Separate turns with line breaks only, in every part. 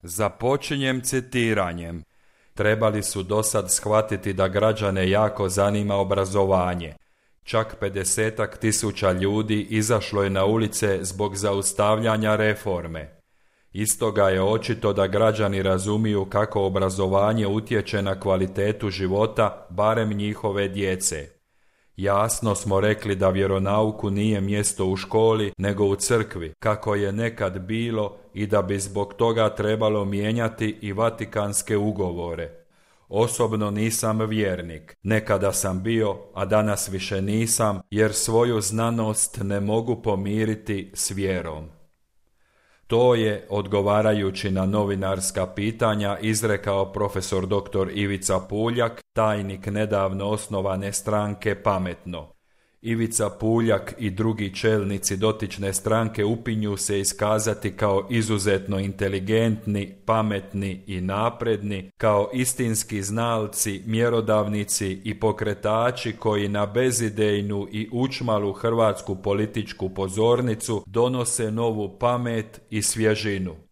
Započinjem citiranjem. Trebali su dosad shvatiti da građane jako zanima obrazovanje. Čak 50.000 ljudi izašlo je na ulice zbog zaustavljanja reforme. Istoga je očito da građani razumiju kako obrazovanje utječe na kvalitetu života, barem njihove djece. Jasno smo rekli da vjeronauku nije mjesto u školi, nego u crkvi, kako je nekad bilo, i da bi zbog toga trebalo mijenjati i Vatikanske ugovore. Osobno nisam vjernik, nekada sam bio, a danas više nisam, jer svoju znanost ne mogu pomiriti s vjerom. To je, odgovarajući na novinarska pitanja, izrekao profesor dr. Ivica Puljak, tajnik nedavno osnovane stranke Pametno. Ivica Puljak i drugi čelnici dotične stranke upinju se iskazati kao izuzetno inteligentni, pametni i napredni, kao istinski znalci, mjerodavnici i pokretači koji na bezidejnu i učmalu hrvatsku političku pozornicu donose novu pamet i svježinu.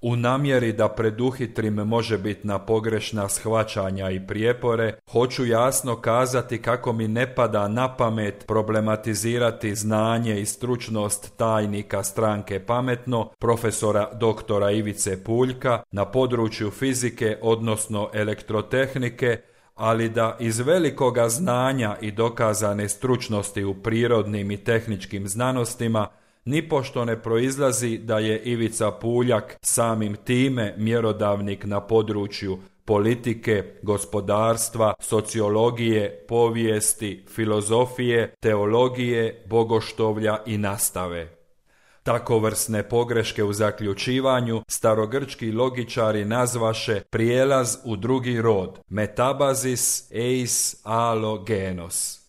U namjeri da preduhitrim možebitna pogrešna shvaćanja i prijepore, hoću jasno kazati kako mi ne pada na pamet problematizirati znanje i stručnost tajnika stranke Pametno, profesora doktora Ivice Puljka, na području fizike, odnosno elektrotehnike, ali da iz velikoga znanja i dokazane stručnosti u prirodnim i tehničkim znanostima nipošto ne proizlazi da je Ivica Puljak samim time mjerodavnik na području politike, gospodarstva, sociologije, povijesti, filozofije, teologije, bogoštovlja i nastave. Takovrsne pogreške u zaključivanju starogrčki logičari nazvaše prijelaz u drugi rod, metabazis eis alo genos.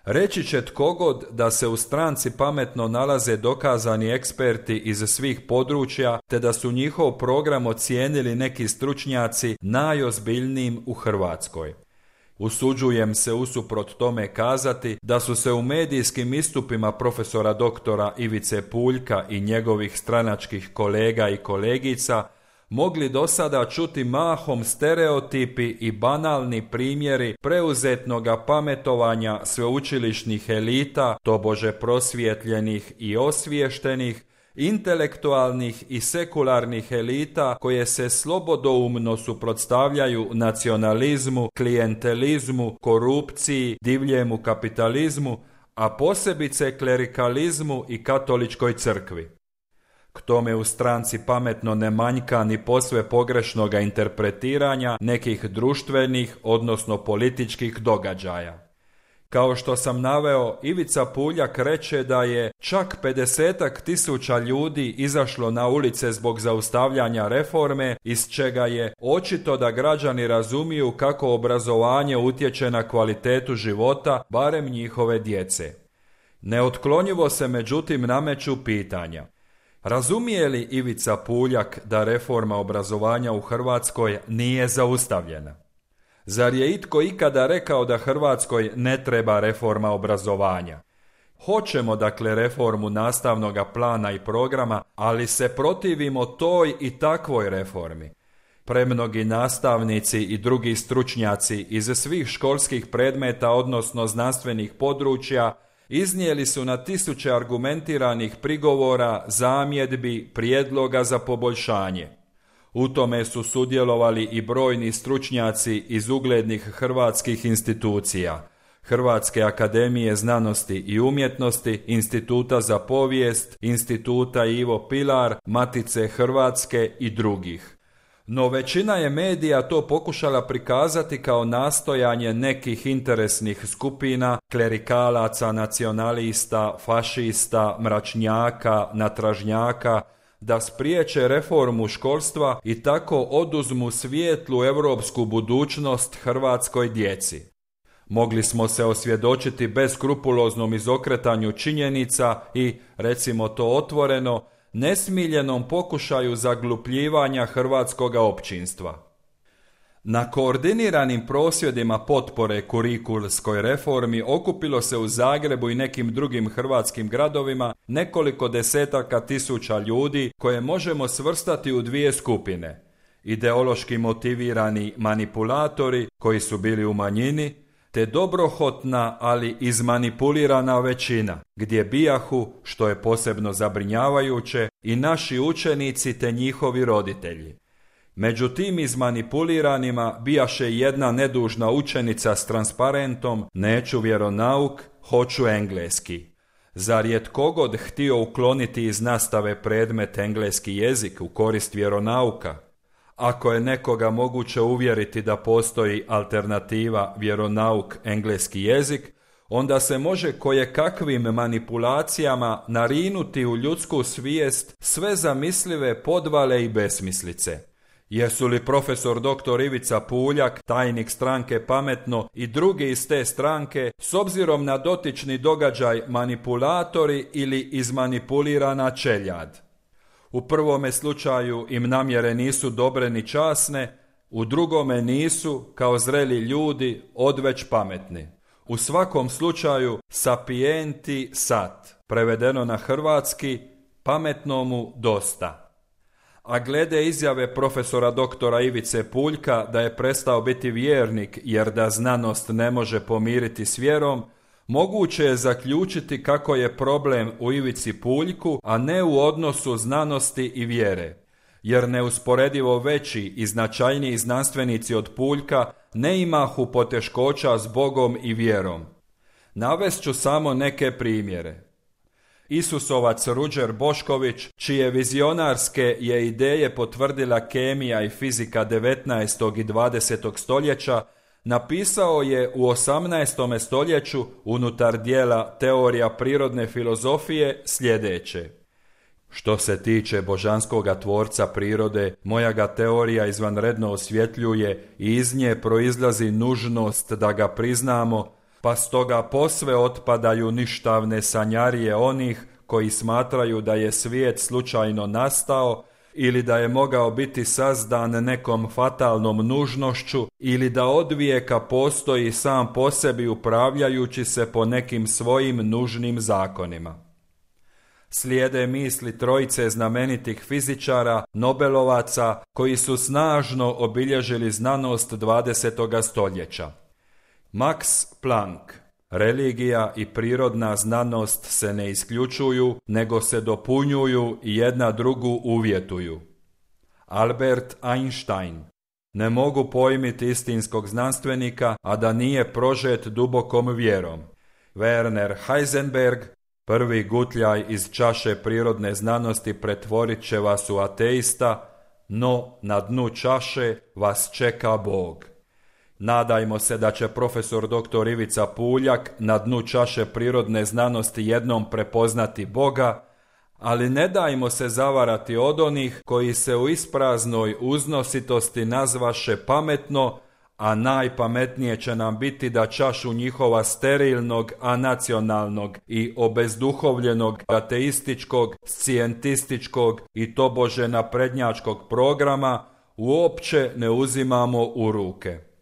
Reći će tkogod da se u stranci Pametno nalaze dokazani eksperti iz svih područja, te da su njihov program ocijenili neki stručnjaci najozbiljnijim u Hrvatskoj. Usuđujem se usuprot tome kazati da su se u medijskim istupima profesora doktora Ivice Puljka i njegovih stranačkih kolega i kolegica mogli do sada čuti mahom stereotipi i banalni primjeri preuzetnoga pametovanja sveučilišnih elita, tobože prosvjetljenih i osviještenih, intelektualnih i sekularnih elita koje se slobodoumno suprotstavljaju nacionalizmu, klijentelizmu, korupciji, divljemu kapitalizmu, a posebice klerikalizmu i katoličkoj crkvi. K tome u stranci Pametno ne manjka ni posve pogrešnoga interpretiranja nekih društvenih, odnosno političkih događaja. Kao što sam naveo, Ivica Puljak reče da je čak 50.000 ljudi izašlo na ulice zbog zaustavljanja reforme, iz čega je očito da građani razumiju kako obrazovanje utječe na kvalitetu života, barem njihove djece. Neotklonjivo se međutim nameću pitanja. Razumije li Ivica Puljak da reforma obrazovanja u Hrvatskoj nije zaustavljena? Zar je itko ikada rekao da Hrvatskoj ne treba reforma obrazovanja? Hoćemo dakle reformu nastavnog plana i programa, ali se protivimo toj i takvoj reformi. Premnogi nastavnici i drugi stručnjaci iz svih školskih predmeta, odnosno znanstvenih područja, iznijeli su na tisuće argumentiranih prigovora, zamjedbi, prijedloga za poboljšanje. U tome su sudjelovali i brojni stručnjaci iz uglednih hrvatskih institucija, Hrvatske akademije znanosti i umjetnosti, Instituta za povijest, Instituta Ivo Pilar, Matice Hrvatske i drugih. No većina je medija to pokušala prikazati kao nastojanje nekih interesnih skupina, klerikalaca, nacionalista, fašista, mračnjaka, natražnjaka, da spriječe reformu školstva i tako oduzmu svijetlu europsku budućnost hrvatskoj djeci. Mogli smo se osvjedočiti beskrupuloznom izokretanju činjenica i, recimo to otvoreno, nesmiljenom pokušaju zaglupljivanja hrvatskoga općinstva. Na koordiniranim prosvjedima potpore kurikulskoj reformi okupilo se u Zagrebu i nekim drugim hrvatskim gradovima nekoliko desetaka tisuća ljudi koje možemo svrstati u dvije skupine. Ideološki motivirani manipulatori koji su bili u manjini, te dobrohotna, ali izmanipulirana većina, gdje bijahu, što je posebno zabrinjavajuće, i naši učenici te njihovi roditelji. Među tim izmanipuliranima bijaše jedna nedužna učenica s transparentom "Neću vjeronauk, hoću engleski". Zar je tko god htio ukloniti iz nastave predmet engleski jezik u korist vjeronauka? Ako je nekoga moguće uvjeriti da postoji alternativa vjeronauk engleski jezik, onda se može kojekakvim manipulacijama narinuti u ljudsku svijest sve zamislive podvale i besmislice. Jesu li profesor dr. Ivica Puljak, tajnik stranke Pametno, i drugi iz te stranke, s obzirom na dotični događaj, manipulatori ili izmanipulirana čeljad? U prvome slučaju im namjere nisu dobre ni časne, u drugome nisu, kao zreli ljudi, odveć pametni. U svakom slučaju sapienti sat, prevedeno na hrvatski, pametnomu dosta. A glede izjave profesora doktora Ivice Puljka da je prestao biti vjernik jer da znanost ne može pomiriti s vjerom, moguće je zaključiti kako je problem u Ivici Puljku, a ne u odnosu znanosti i vjere, jer neusporedivo veći i značajniji znanstvenici od Puljka ne imahu poteškoća s Bogom i vjerom. Navest ću samo neke primjere. Isusovac Ruđer Bošković, čije vizionarske je ideje potvrdila kemija i fizika 19. i 20. stoljeća, napisao je u 18. stoljeću unutar dijela Teorija prirodne filozofije sljedeće: "Što se tiče božanskoga tvorca prirode, moja ga teorija izvanredno osvjetljuje i iz nje proizlazi nužnost da ga priznamo, pa stoga posve otpadaju ništavne sanjarije onih koji smatraju da je svijet slučajno nastao ili da je mogao biti sazdan nekom fatalnom nužnošću ili da odvijeka postoji sam po sebi upravljajući se po nekim svojim nužnim zakonima." Slijede misli trojice znamenitih fizičara, Nobelovaca, koji su snažno obilježili znanost 20. stoljeća. Max Planck: "Religija i prirodna znanost se ne isključuju, nego se dopunjuju i jedna drugu uvjetuju." Albert Einstein: "Ne mogu pojmiti istinskog znanstvenika, a da nije prožet dubokom vjerom." Werner Heisenberg: "Prvi gutljaj iz čaše prirodne znanosti pretvorit će vas u ateista, no na dnu čaše vas čeka Bog." Nadajmo se da će profesor dr. Ivica Puljak na dnu čaše prirodne znanosti jednom prepoznati Boga, ali ne dajmo se zavarati od onih koji se u ispraznoj uznositosti nazvaše pametno, a najpametnije će nam biti da čašu njihova sterilnog, anacionalnog i obezduhovljenog ateističkog, scijentističkog i tobože naprednjačkog programa uopće ne uzimamo u ruke.